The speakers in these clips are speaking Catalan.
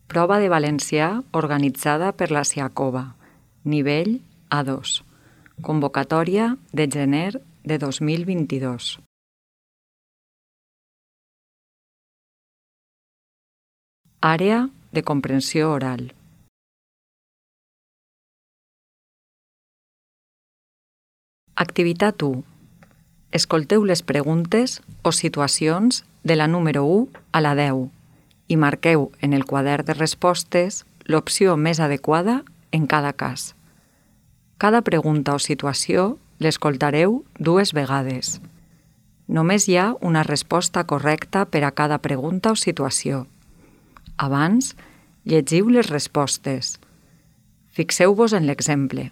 Prova de valencià organitzada per la Siacova, nivell A2. Convocatòria de gener de 2022. Àrea de comprensió oral. Activitat 1. Escolteu les preguntes o situacions de la número 1 a la 10 i marqueu en el quadern de respostes l'opció més adequada en cada cas. Cada pregunta o situació l'escoltareu 2 vegades. Només hi ha una resposta correcta per a cada pregunta o situació. Abans, llegiu les respostes. Fixeu-vos en l'exemple.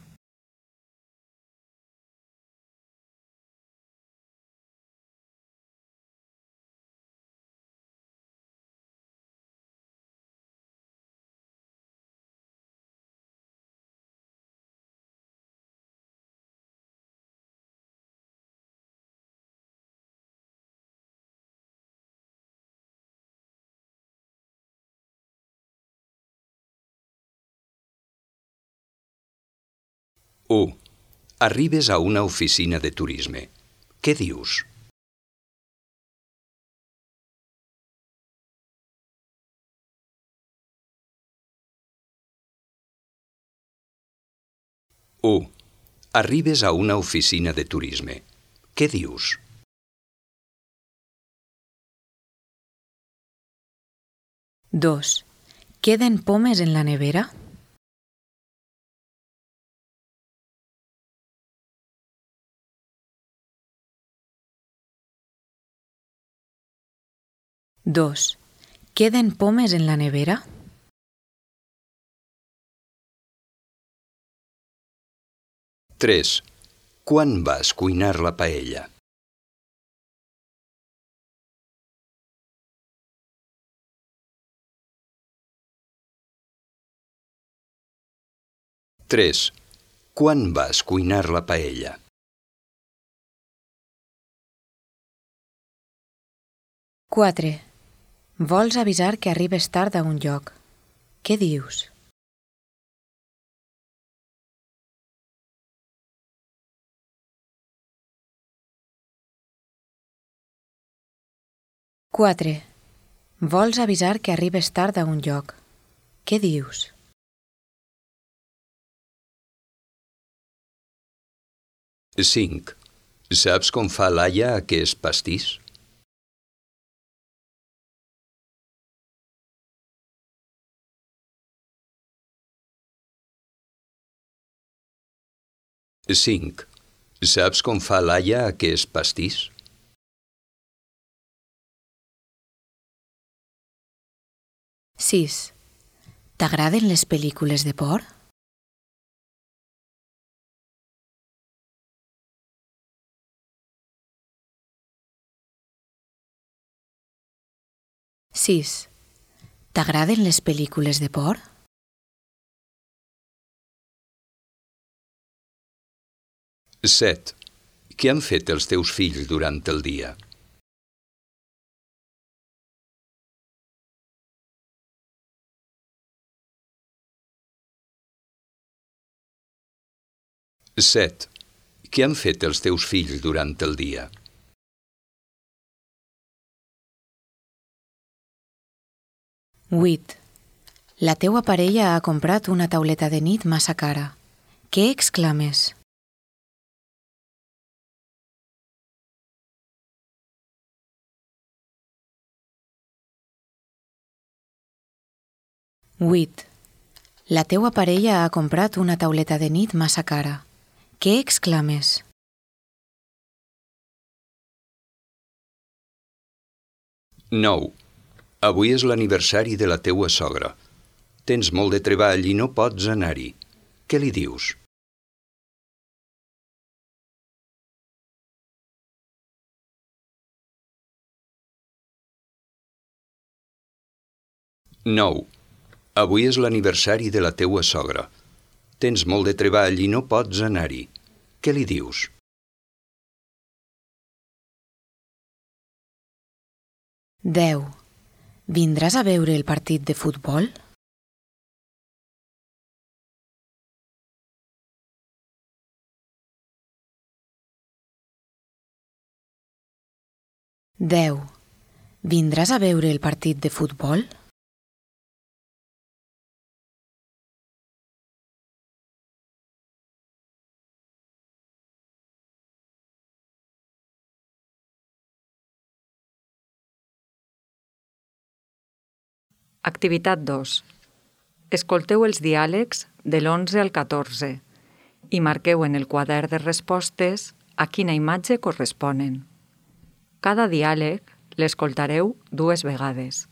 U. Arribes a una oficina de turisme. Què dius? U. Arribes a una oficina de turisme. Què dius? 2. ¿Queden pomes en la nevera? 2. ¿Queden pomes en la nevera? 3. Quan vas cuinar la paella? 3. Quan vas cuinar la paella? 4. Vols avisar que arribes tard a un lloc. Què dius? 4. Vols avisar que arribes tard a un lloc. Què dius? 5. Saps com fa l'Aia aquest pastís? 5. Saps com fa l'Aia aquest pastís? 6. T'agraden les pel·lícules de por? 6. T'agraden les pel·lícules de por? 7. Què han fet els teus fills durant el dia? 7. Què han fet els teus fills durant el dia? 8. La teua parella ha comprat una tauleta de nit massa cara. Què exclames? 8. La teua parella ha comprat una tauleta de nit massa cara. Què exclames? 9. Avui és l'aniversari de la teua sogra. Tens molt de treball i no pots anar-hi. Què li dius? 9. Avui és l'aniversari de la teua sogra. Tens molt de treball i no pots anar-hi. Què li dius? 10. Vindràs a veure el partit de futbol? 10. Vindràs a veure el partit de futbol? Activitat 2. Escolteu els diàlegs de l'11 al 14 i marqueu en el quadern de respostes a quina imatge corresponen. Cada diàleg l'escoltareu 2 vegades.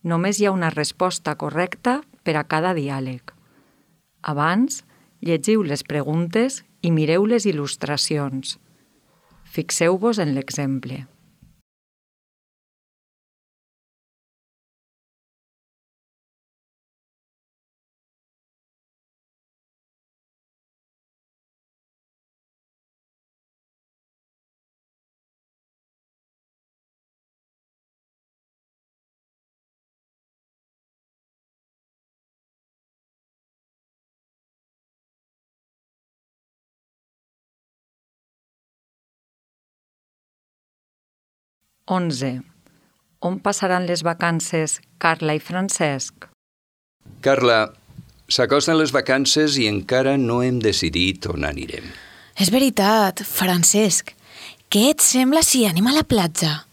Només hi ha una resposta correcta per a cada diàleg. Abans, llegiu les preguntes i mireu les il·lustracions. Fixeu-vos en l'exemple. (11) On passaran les vacances Carla i Francesc? Carla, s'acosten les vacances i encara no hem decidit on anirem. És veritat, Francesc. Què et sembla si anem a la platja?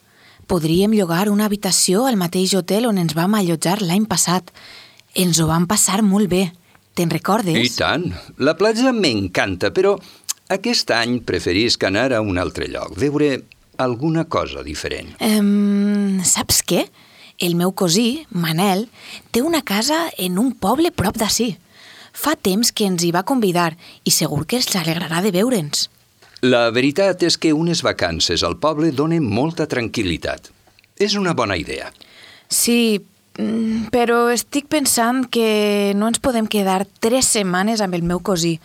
Podríem llogar una habitació al mateix hotel on ens vam allotjar l'any passat. Ens ho vam passar molt bé. Te'n recordes? I tant. La platja m'encanta, però aquest any preferisc anar a un altre lloc, veure alguna cosa diferent. Saps què? El meu cosí, Manel, té una casa en un poble prop d'ací. Fa temps que ens hi va convidar i segur que els alegrarà de veure'ns. La veritat és que unes vacances al poble donen molta tranquil·litat. És una bona idea. Sí, però estic pensant que no ens podem quedar 3 setmanes amb el meu cosí.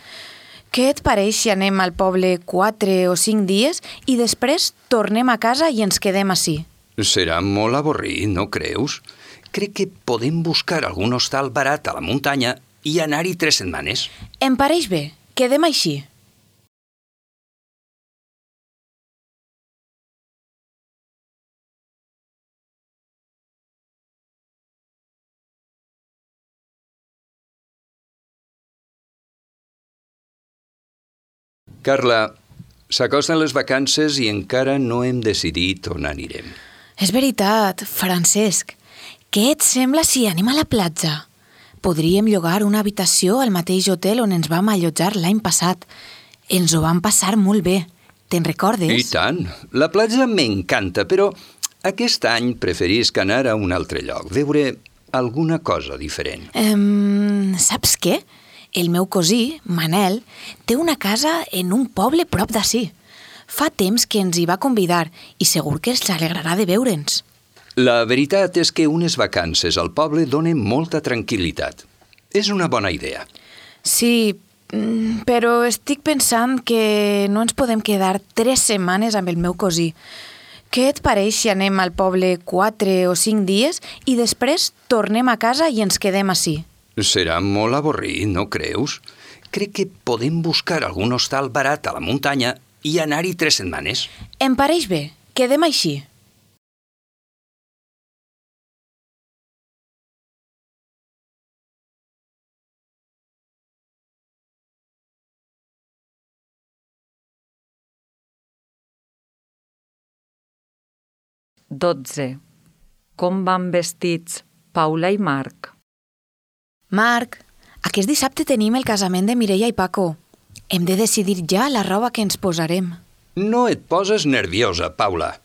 Què et pareix si anem al poble 4 o 5 dies i després tornem a casa i ens quedem ací? Serà molt avorrit, no creus? Crec que podem buscar algun hostal barat a la muntanya i anar-hi 3 setmanes. Em pareix bé. Quedem així. Carla, s'acosten les vacances i encara no hem decidit on anirem. És veritat, Francesc. Què et sembla si anem a la platja? Podríem llogar una habitació al mateix hotel on ens vam allotjar l'any passat. Ens ho vam passar molt bé. Te'n recordes? I tant. La platja m'encanta, però aquest any preferisc anar a un altre lloc, veure alguna cosa diferent. Saps què? El meu cosí, Manel, té una casa en un poble prop d'ací. Fa temps que ens hi va convidar i segur que els alegrarà de veure'ns. La veritat és que unes vacances al poble donen molta tranquil·litat. És una bona idea. Sí, però estic pensant que no ens podem quedar 3 setmanes amb el meu cosí. Què et pareix si anem al poble 4 o 5 dies i després tornem a casa i ens quedem ací? Serà molt avorrit, no creus? Crec que podem buscar algun hostal barat a la muntanya i anar-hi 3 setmanes. Em pareix bé. Quedem així. (12) Com van vestits Paula i Marc? Marc, aquest dissabte tenim el casament de Mireia i Paco. Hem de decidir ja la roba que ens posarem. No et poses nerviosa, Paula.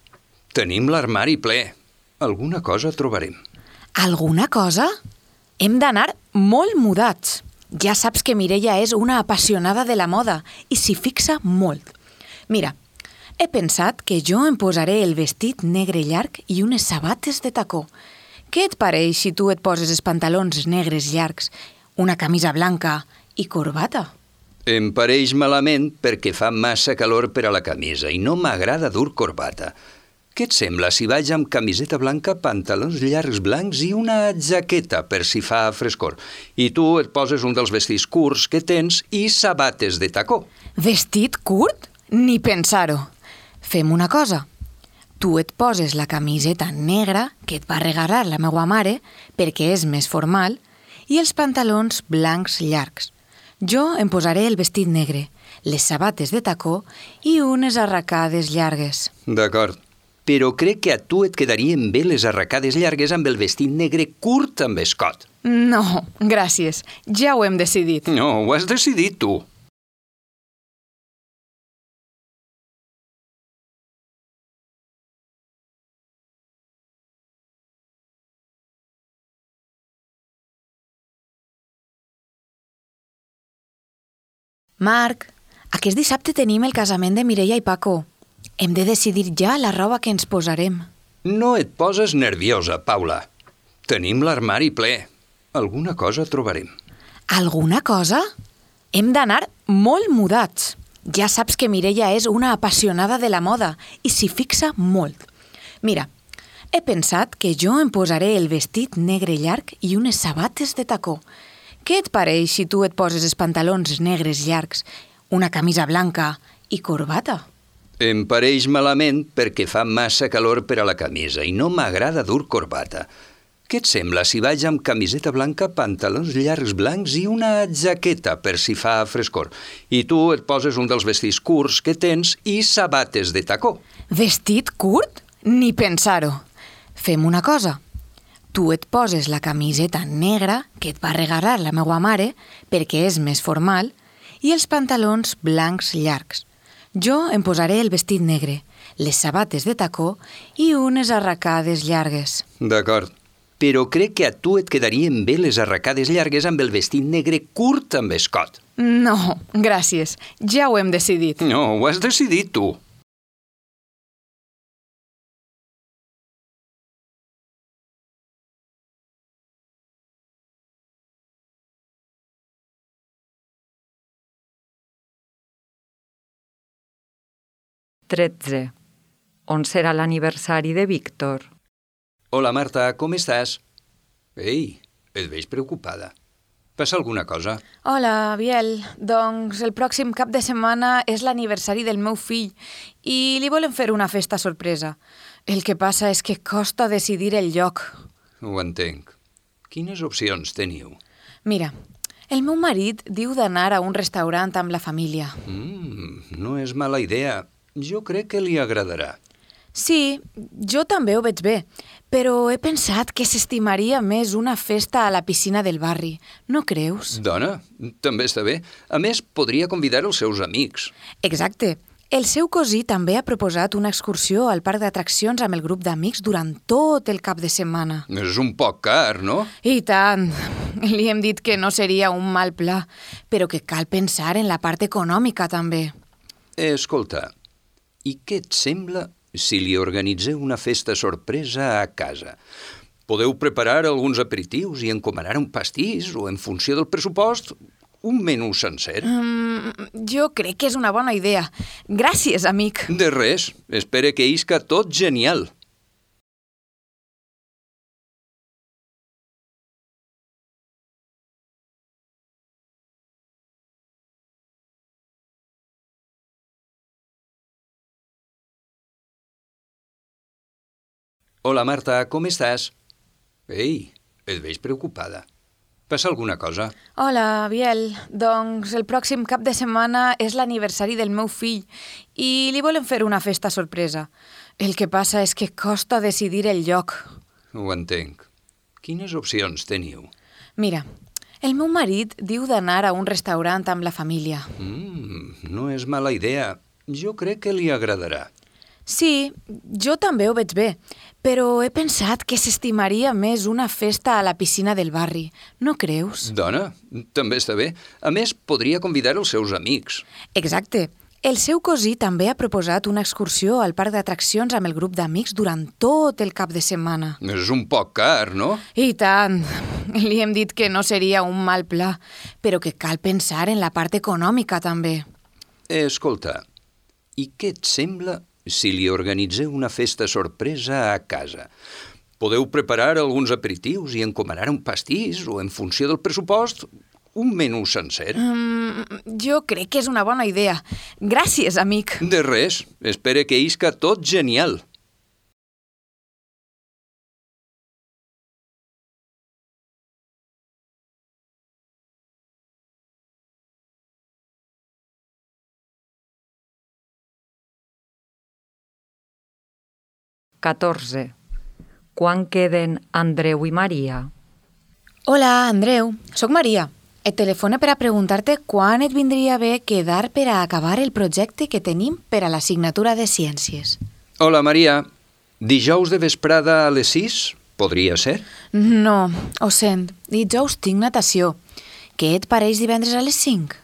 Tenim l'armari ple. Alguna cosa trobarem. Alguna cosa? Hem d'anar molt mudats. Ja saps que Mireia és una apassionada de la moda i s'hi fixa molt. Mira, he pensat que jo em posaré el vestit negre llarg i unes sabates de tacó. Què et pareix si tu et poses els pantalons negres llargs, una camisa blanca i corbata? Em pareix malament perquè fa massa calor per a la camisa i no m'agrada dur corbata. Què et sembla si vaig amb camiseta blanca, pantalons llargs blancs i una jaqueta per si fa frescor? I tu et poses un dels vestits curts que tens i sabates de tacó. Vestit curt? Ni pensar-ho. Fem una cosa. Tu et poses la camiseta negra que et va regalar la meva mare perquè és més formal i els pantalons blancs llargs. Jo em posaré el vestit negre, les sabates de tacó i unes arracades llargues. D'acord, però crec que a tu et quedarien bé les arracades llargues amb el vestit negre curt amb escot. No, gràcies. Ja ho hem decidit. No, ho has decidit tu. Marc, aquest dissabte tenim el casament de Mireia i Paco. Hem de decidir ja la roba que ens posarem. No et poses nerviosa, Paula. Tenim l'armari ple. Alguna cosa trobarem. Alguna cosa? Hem d'anar molt mudats. Ja saps que Mireia és una apassionada de la moda i s'hi fixa molt. Mira, he pensat que jo em posaré el vestit negre llarg i unes sabates de tacó. Què et pareix si tu et poses els pantalons negres llargs, una camisa blanca i corbata? Em pareix malament perquè fa massa calor per a la camisa i no m'agrada dur corbata. Què et sembla si vaig amb camiseta blanca, pantalons llargs blancs i una jaqueta per si fa frescor? I tu et poses un dels vestits curts que tens i sabates de tacó. Vestit curt? Ni pensar-ho. Fem una cosa. Tu et poses la camiseta negra que et va regalar la meva mare perquè és més formal i els pantalons blancs llargs. Jo em posaré el vestit negre, les sabates de tacó i unes arracades llargues. D'acord, però crec que a tu et quedarien bé les arracades llargues amb el vestit negre curt amb escot. No, gràcies. Ja ho hem decidit. No, ho has decidit tu. Tretze. On serà l'aniversari de Víctor? Hola, Marta, com estàs? Ei, et veig preocupada. Passa alguna cosa? Hola, Biel. Doncs el pròxim cap de setmana és l'aniversari del meu fill i li volem fer una festa sorpresa. El que passa és que costa decidir el lloc. Ho entenc. Quines opcions teniu? Mira, el meu marit diu d'anar a un restaurant amb la família. No és mala idea. Jo crec que li agradarà. Sí, jo també ho veig bé, però he pensat que s'estimaria més una festa a la piscina del barri. No creus? Dona, també està bé. A més, podria convidar els seus amics. Exacte. El seu cosí també ha proposat una excursió al parc d'atraccions amb el grup d'amics durant tot el cap de setmana. És un poc car, no? I tant. Li hem dit que no seria un mal pla, però que cal pensar en la part econòmica també. Escolta, i què et sembla si li organitzeu una festa sorpresa a casa? Podeu preparar alguns aperitius i encomanar un pastís o, en funció del pressupost, un menú sencer. Jo crec que és una bona idea. Gràcies, amic. De res. Espero que isca tot genial. Hola, Marta, com estàs? Ei, et veig preocupada. Passa alguna cosa? Hola, Biel. Doncs el pròxim cap de setmana és l'aniversari del meu fill i li volem fer una festa sorpresa. El que passa és que costa decidir el lloc. Ho entenc. Quines opcions teniu? Mira, el meu marit diu d'anar a un restaurant amb la família. No és mala idea. Jo crec que li agradarà. Sí, jo també ho veig bé, però he pensat que s'estimaria més una festa a la piscina del barri. No creus? Dona, també està bé. A més, podria convidar els seus amics. Exacte. El seu cosí també ha proposat una excursió al parc d'atraccions amb el grup d'amics durant tot el cap de setmana. És un poc car, no? I tant. Li hem dit que no seria un mal pla, però que cal pensar en la part econòmica també. Escolta, i què et sembla si li organitzeu una festa sorpresa a casa? Podeu preparar alguns aperitius i encomanar un pastís o, en funció del pressupost, un menú sencer. Jo crec que és una bona idea. Gràcies, amic. De res. Espero que isca tot genial. 14. Quan queden Andreu i Maria? Hola, Andreu. Soc Maria. Et telefone per a preguntar-te quan et vindria bé quedar per a acabar el projecte que tenim per a l'assignatura de Ciències. Hola, Maria. Dijous de vesprada a les 6? Podria ser? No, ho sent. Dijous tinc natació. Què et pareix divendres a les 5?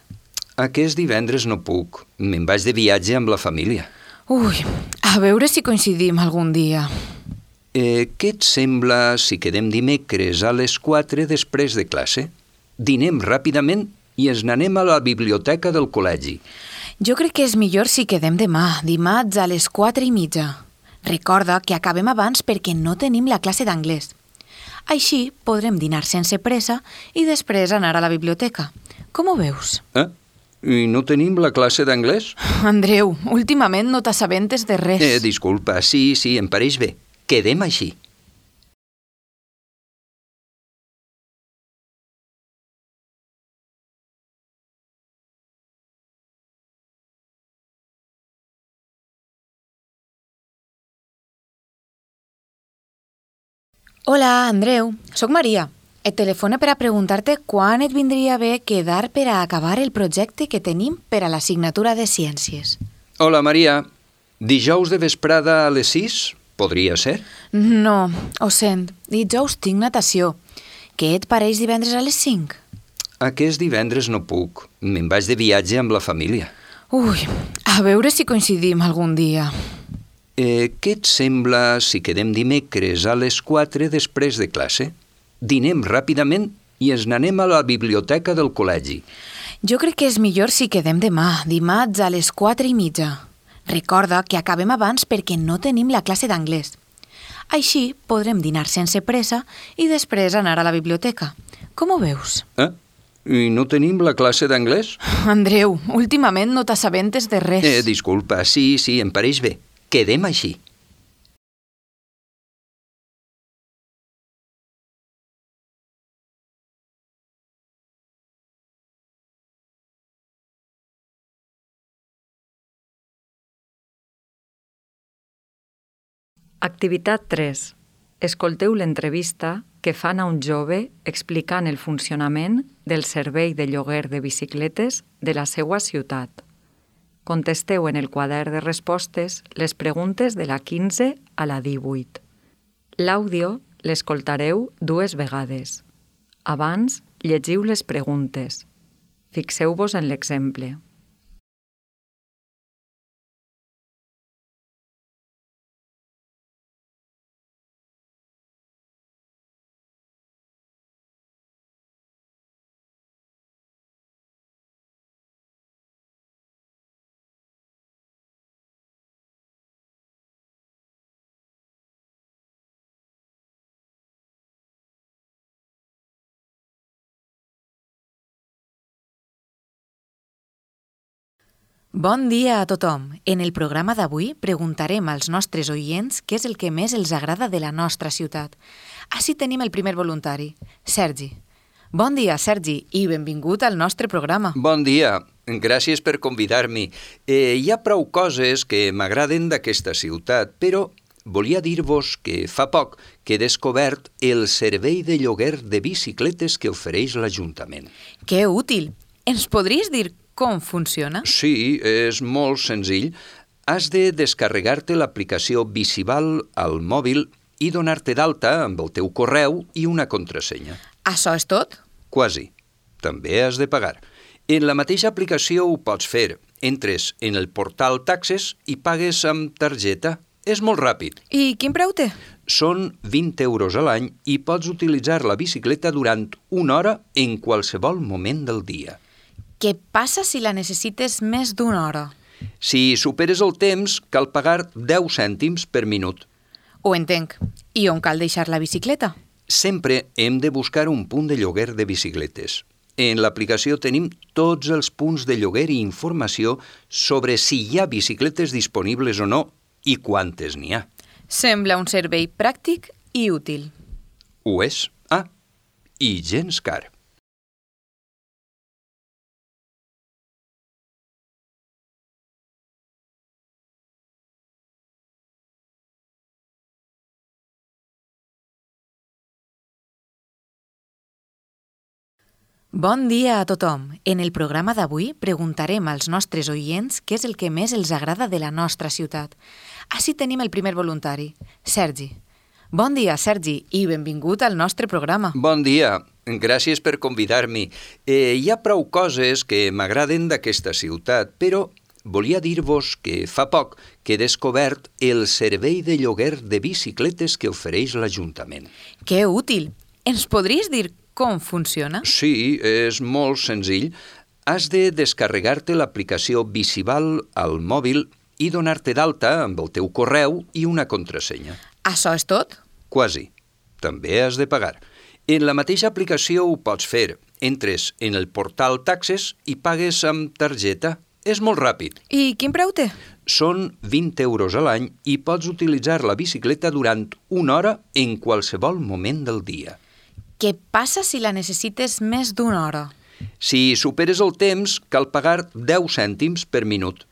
Aquest divendres no puc. Me'n vaig de viatge amb la família. Ui, a veure si coincidim algun dia. Què et sembla si quedem dimecres a les 4 després de classe? Dinem ràpidament i ens n'anem a la biblioteca del col·legi. Jo crec que és millor si quedem demà, dimarts a les 4:30. Recorda que acabem abans perquè no tenim la classe d'anglès. Així podrem dinar sense pressa i després anar a la biblioteca. Com ho veus? I no tenim la classe d'anglès? Andreu, últimament no t'assabentes de res. Disculpa, sí, em pareix bé. Quedem així. Hola, Andreu. Soc Maria. Et telefone per a preguntar-te quan et vindria bé quedar per a acabar el projecte que tenim per a l'assignatura de Ciències. Hola, Maria. Dijous de vesprada a les 6? Podria ser? No, ho sent. Dijous tinc natació. Què et pareix divendres a les 5? Aquest divendres no puc. Me'n vaig de viatge amb la família. Ui, a veure si coincidim algun dia. Què et sembla si quedem dimecres a les 4 després de classe? Dinem ràpidament i ens n'anem a la biblioteca del col·legi. Jo crec que és millor si quedem demà, dimarts a les 4:30. Recorda que acabem abans perquè no tenim la classe d'anglès. Així podrem dinar sense pressa i després anar a la biblioteca. Com ho veus? I no tenim la classe d'anglès? Andreu, últimament no t'assabentes de res. Disculpa, sí, em pareix bé. Quedem així. Activitat 3. Escolteu l'entrevista que fan a un jove explicant el funcionament del servei de lloguer de bicicletes de la seva ciutat. Contesteu en el quadern de respostes les preguntes de la 15 a la 18. L'àudio l'escoltareu 2 vegades. Abans, llegiu les preguntes. Fixeu-vos en l'exemple. Bon dia a tothom. En el programa d'avui preguntarem als nostres oients què és el que més els agrada de la nostra ciutat. Així tenim el primer voluntari, Sergi. Bon dia, Sergi, i benvingut al nostre programa. Bon dia. Gràcies per convidar-m'hi. Hi ha prou coses que m'agraden d'aquesta ciutat, però volia dir-vos que fa poc que he descobert el servei de lloguer de bicicletes que ofereix l'Ajuntament. Que útil! Ens podries dir com funciona? Sí, és molt senzill. Has de descarregar-te l'aplicació Bicival al mòbil i donar-te d'alta amb el teu correu i una contrasenya. Això és tot? Quasi. També has de pagar. En la mateixa aplicació ho pots fer. Entres en el portal Taxes i pagues amb targeta. És molt ràpid. I quin preu té? Són 20 euros a l'any i pots utilitzar la bicicleta durant 1 hora en qualsevol moment del dia. Què passa si la necessites més d'una hora? Si superes el temps, cal pagar 10 cèntims per minut. Ho entenc. I on cal deixar la bicicleta? Sempre hem de buscar un punt de lloguer de bicicletes. En l'aplicació tenim tots els punts de lloguer i informació sobre si hi ha bicicletes disponibles o no i quantes n'hi ha. Sembla un servei pràctic i útil. Ho és. I gens car. Bon dia a tothom. En el programa d'avui preguntarem als nostres oients què és el que més els agrada de la nostra ciutat. Així tenim el primer voluntari, Sergi. Bon dia, Sergi, i benvingut al nostre programa. Bon dia. Gràcies per convidar-me. Hi ha prou coses que m'agraden d'aquesta ciutat, però volia dir-vos que fa poc que he descobert el servei de lloguer de bicicletes que ofereix l'Ajuntament. Que útil! Ens podries dir com funciona? Sí, és molt senzill. Has de descarregar-te l'aplicació Bicival al mòbil i donar-te d'alta amb el teu correu i una contrasenya. Això és tot? Quasi. També has de pagar. En la mateixa aplicació ho pots fer. Entres en el portal Taxes i pagues amb targeta. És molt ràpid. I quin preu té? Són 20 euros a l'any i pots utilitzar la bicicleta durant una hora en qualsevol moment del dia. Què passa si la necessites més d'una hora? Si superes el temps, cal pagar 10 cèntims per minut.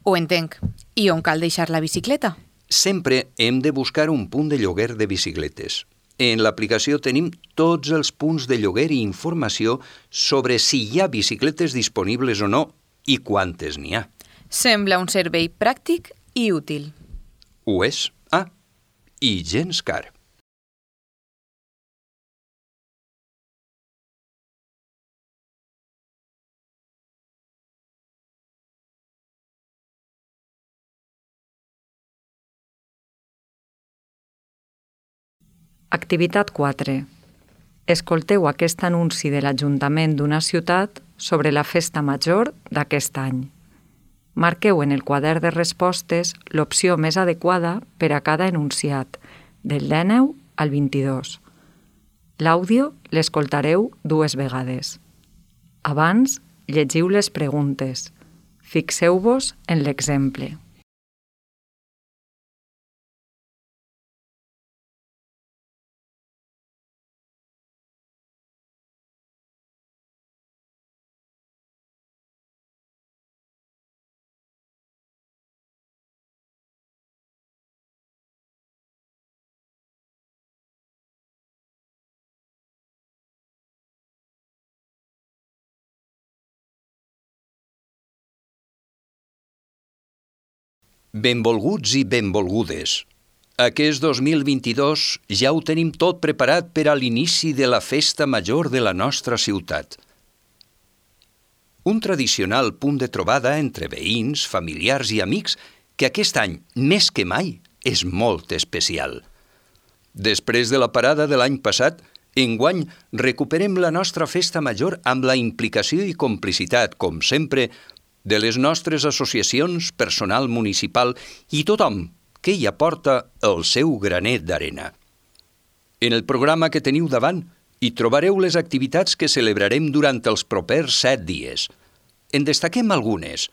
Ho entenc. I on cal deixar la bicicleta? Sempre hem de buscar un punt de lloguer de bicicletes. En l'aplicació tenim tots els punts de lloguer i informació sobre si hi ha bicicletes disponibles o no i quantes n'hi ha. Sembla un servei pràctic i útil. Ho és? I gens car. Activitat 4. Escolteu aquest anunci de l'Ajuntament d'una ciutat sobre la festa major d'aquest any. Marqueu en el quadern de respostes l'opció més adequada per a cada enunciat, del 19 al 22. L'àudio l'escoltareu 2 vegades. Abans, llegiu les preguntes. Fixeu-vos en l'exemple. Benvolguts i benvolgudes. Aquest 2022 ja ho tenim tot preparat per a l'inici de la festa major de la nostra ciutat. Un tradicional punt de trobada entre veïns, familiars i amics que aquest any, més que mai, és molt especial. Després de la parada de l'any passat, enguany recuperem la nostra festa major amb la implicació i complicitat, com sempre, de les nostres associacions, personal municipal i tothom que hi aporta el seu granet d'arena. En el programa que teniu davant hi trobareu les activitats que celebrarem durant els propers 7 dies. En destaquem algunes.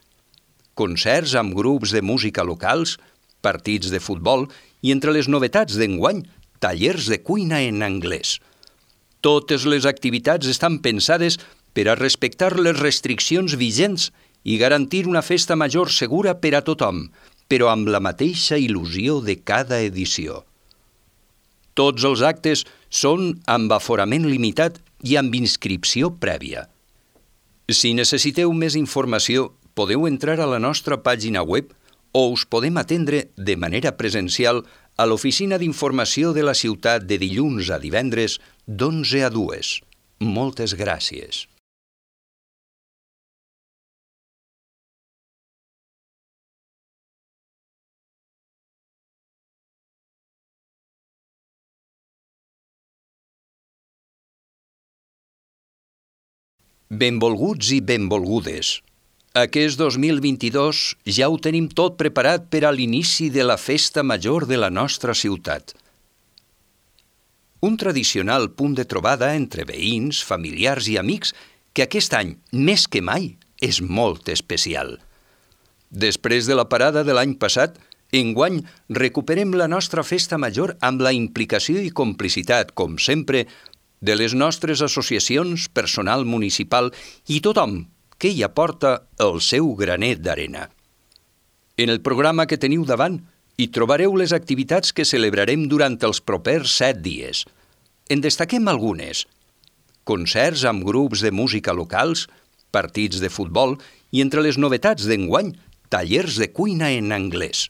Concerts amb grups de música locals, partits de futbol i entre les novetats d'enguany, tallers de cuina en anglès. Totes les activitats estan pensades per a respectar les restriccions vigents i garantir una festa major segura per a tothom, però amb la mateixa il·lusió de cada edició. Tots els actes són amb aforament limitat i amb inscripció prèvia. Si necessiteu més informació, podeu entrar a la nostra pàgina web o us podem atendre de manera presencial a l'oficina d'informació de la ciutat de dilluns a divendres d'11 a 2. Moltes gràcies. Benvolguts i benvolgudes. Aquest 2022 ja ho tenim tot preparat per a l'inici de la festa major de la nostra ciutat. Un tradicional punt de trobada entre veïns, familiars i amics que aquest any, més que mai, és molt especial. Després de la parada de l'any passat, enguany recuperem la nostra festa major amb la implicació i complicitat, com sempre, de les nostres associacions, personal municipal i tothom que hi aporta el seu granet d'arena. En el programa que teniu davant hi trobareu les activitats que celebrarem durant els propers 7 dies. En destaquem algunes. concerts amb grups de música locals, partits de futbol i entre les novetats d'enguany, tallers de cuina en anglès.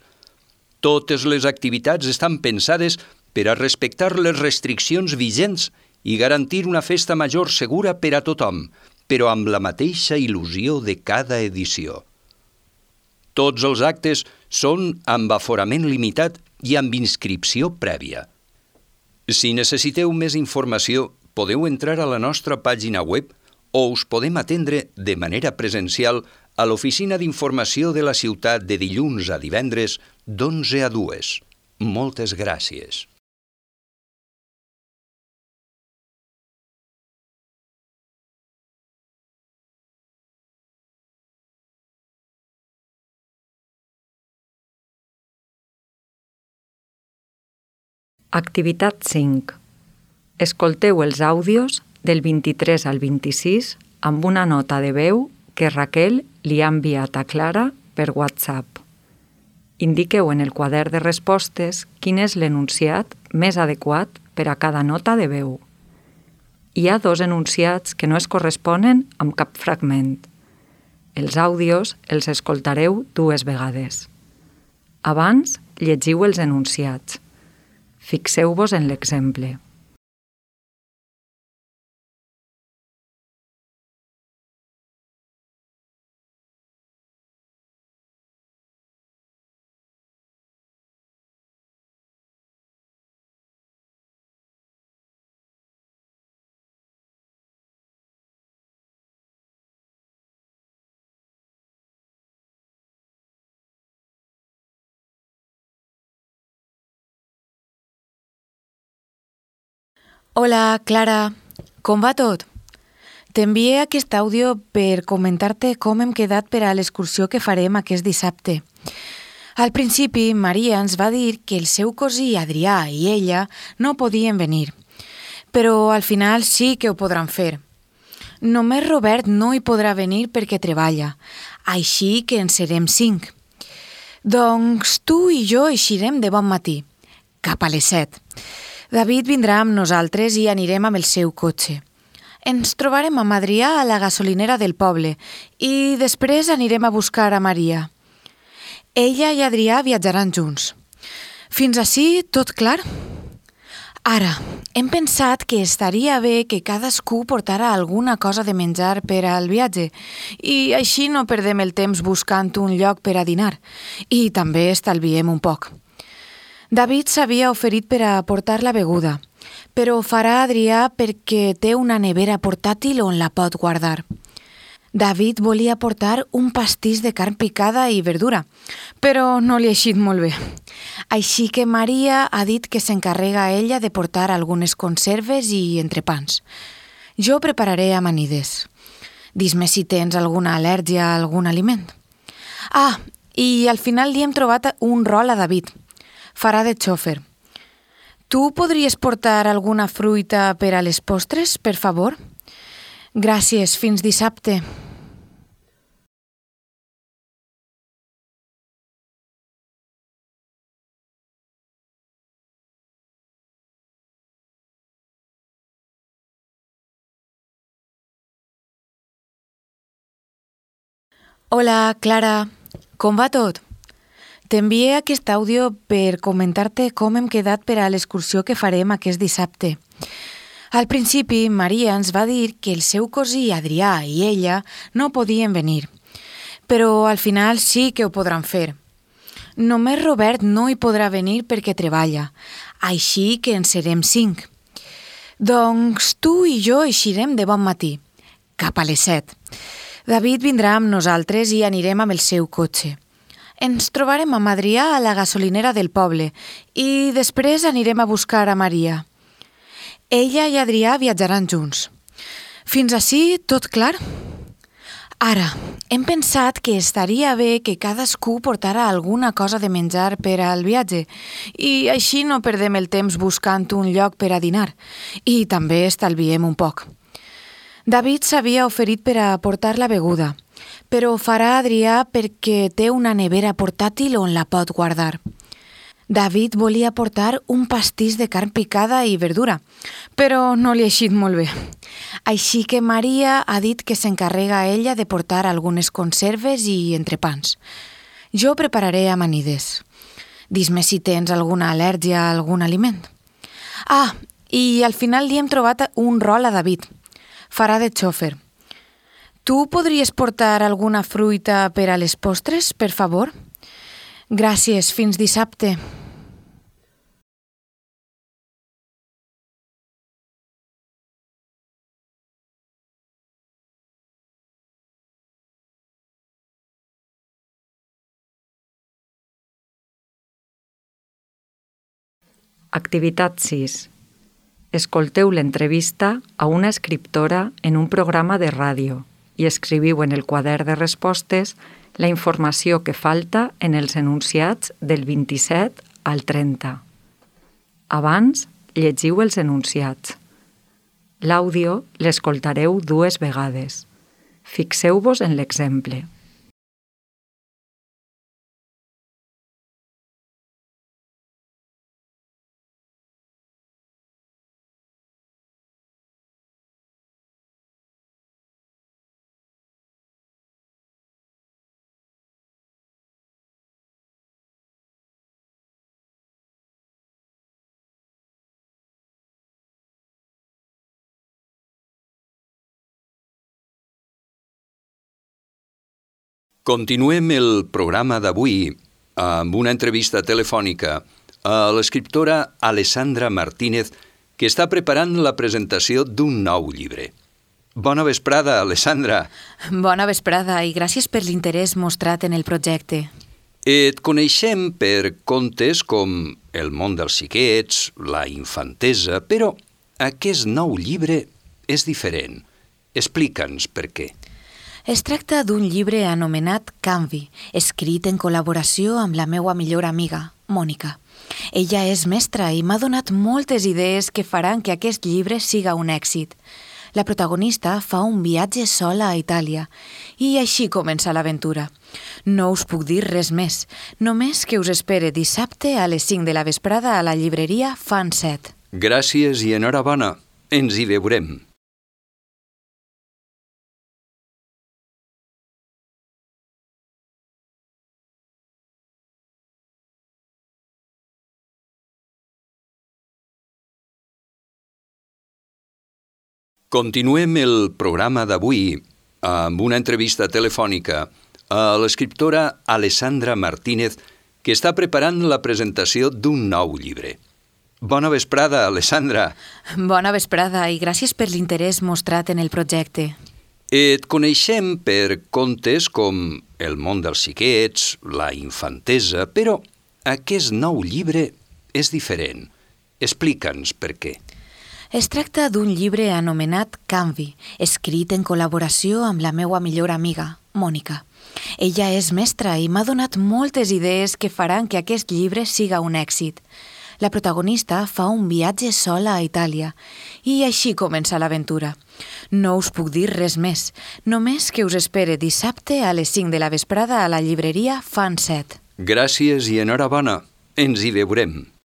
Totes les activitats estan pensades per a respectar les restriccions vigents i garantir una festa major segura per a tothom, però amb la mateixa il·lusió de cada edició. Tots els actes són amb aforament limitat i amb inscripció prèvia. Si necessiteu més informació, podeu entrar a la nostra pàgina web o us podem atendre de manera presencial a l'oficina d'informació de la ciutat de dilluns a divendres d'11 a 2. Moltes gràcies. Activitat 5. Escolteu els àudios del 23 al 26 amb una nota de veu que Raquel li ha enviat a Clara per WhatsApp. Indiqueu en el quadern de respostes quin és l'enunciat més adequat per a cada nota de veu. Hi ha 2 enunciats que no es corresponen amb cap fragment. Els àudios els escoltareu 2 vegades. Abans, llegiu els enunciats. Fixeu-vos en l'exemple. Hola, Clara. Com va tot? T'envié aquest àudio per comentar-te com hem quedat per a l'excursió que farem aquest dissabte. Al principi, Maria ens va dir que el seu cosí Adrià i ella no podien venir, però al final sí que ho podran fer. Només Robert no hi podrà venir perquè treballa, així que en serem 5. Doncs tu i jo eixirem de bon matí, cap a les 7. David vindrà amb nosaltres i anirem amb el seu cotxe. Ens trobarem amb Adrià a la gasolinera del poble i després anirem a buscar a Maria. Ella i Adrià viatjaran junts. Fins ací tot clar? Ara, hem pensat que estaria bé que cadascú portara alguna cosa de menjar per al viatge i així no perdem el temps buscant un lloc per a dinar i també estalviem un poc. David s'havia oferit per a portar la beguda, però ho farà Adrià perquè té una nevera portàtil on la pot guardar. David volia portar un pastís de carn picada i verdura, però no li ha eixit molt bé. Així que Maria ha dit que s'encarrega ella de portar algunes conserves i entrepans. Jo prepararé amanides. Dis-me si tens alguna al·lèrgia a algun aliment. I al final li hem trobat un rol a David. Farà de xòfer. Tu podries portar alguna fruita per a les postres, per favor? Gràcies, fins dissabte. Hola, Clara. Com va tot? T'envié aquest àudio per comentar-te com hem quedat per a l'excursió que farem aquest dissabte. Al principi, Maria ens va dir que el seu cosí Adrià i ella no podien venir, però al final sí que ho podran fer. Només Robert no hi podrà venir perquè treballa, així que en serem 5. Doncs tu i jo eixirem de bon matí, cap a les 7. David vindrà amb nosaltres i anirem amb el seu cotxe. Ens trobarem amb Adrià a la gasolinera del poble i després anirem a buscar a Maria. Ella i Adrià viatjaran junts. Fins ací tot clar? Ara, hem pensat que estaria bé que cadascú portara alguna cosa de menjar per al viatge i així no perdem el temps buscant un lloc per a dinar i també estalviem un poc. David s'havia oferit per a portar la beguda, però ho farà Adrià perquè té una nevera portàtil on la pot guardar. David volia portar un pastís de carn picada i verdura, però no li ha eixit molt bé. Així que Maria ha dit que s'encarrega ella de portar algunes conserves i entrepans. Jo prepararé amanides. Dis-me si tens alguna al·lèrgia a algun aliment. Ah, i al final li hem trobat un rol a David. Farà de xòfer. Tu podries portar alguna fruita per a les postres, per favor? Gràcies, fins dissabte. Activitat 6. Escolteu l'entrevista a una escriptora en un programa de ràdio i escriviu en el quadern de respostes la informació que falta en els enunciats del 27 al 30. Abans, llegiu els enunciats. L'àudio l'escoltareu 2 vegades. Fixeu-vos en l'exemple. Continuem el programa d'avui amb una entrevista telefònica a l'escriptora Alessandra Martínez, que està preparant la presentació d'un nou llibre. Bona vesprada, Alessandra. Bona vesprada i gràcies per l'interès mostrat en el projecte. Et coneixem per contes com El món dels xiquets, La infantesa, però aquest nou llibre és diferent. Explica'ns per què. Es tracta d'un llibre anomenat Canvi, escrit en col·laboració amb la meua millor amiga, Mònica. Ella és mestra i m'ha donat moltes idees que faran que aquest llibre siga un èxit. La protagonista fa un viatge sola a Itàlia i així comença l'aventura. No us puc dir res més, només que us espere dissabte a les 5 de la vesprada a la llibreria Fan 7. Gràcies i enhorabona. Ens hi veurem. Continuem el programa d'avui amb una entrevista telefònica a l'escriptora Alessandra Martínez, que està preparant la presentació d'un nou llibre. Bona vesprada, Alessandra. Bona vesprada i gràcies per l'interès mostrat en el projecte. Et coneixem per contes com El món dels xiquets, La infantesa, però aquest nou llibre és diferent. Explica'ns per què. Es tracta d'un llibre anomenat Canvi, escrit en col·laboració amb la meua millor amiga, Mònica. Ella és mestra i m'ha donat moltes idees que faran que aquest llibre siga un èxit. La protagonista fa un viatge sola a Itàlia i així comença l'aventura. No us puc dir res més, només que us espere dissabte a les 5 de la vesprada a la llibreria Fan 7. Gràcies i enhorabona. Ens hi veurem.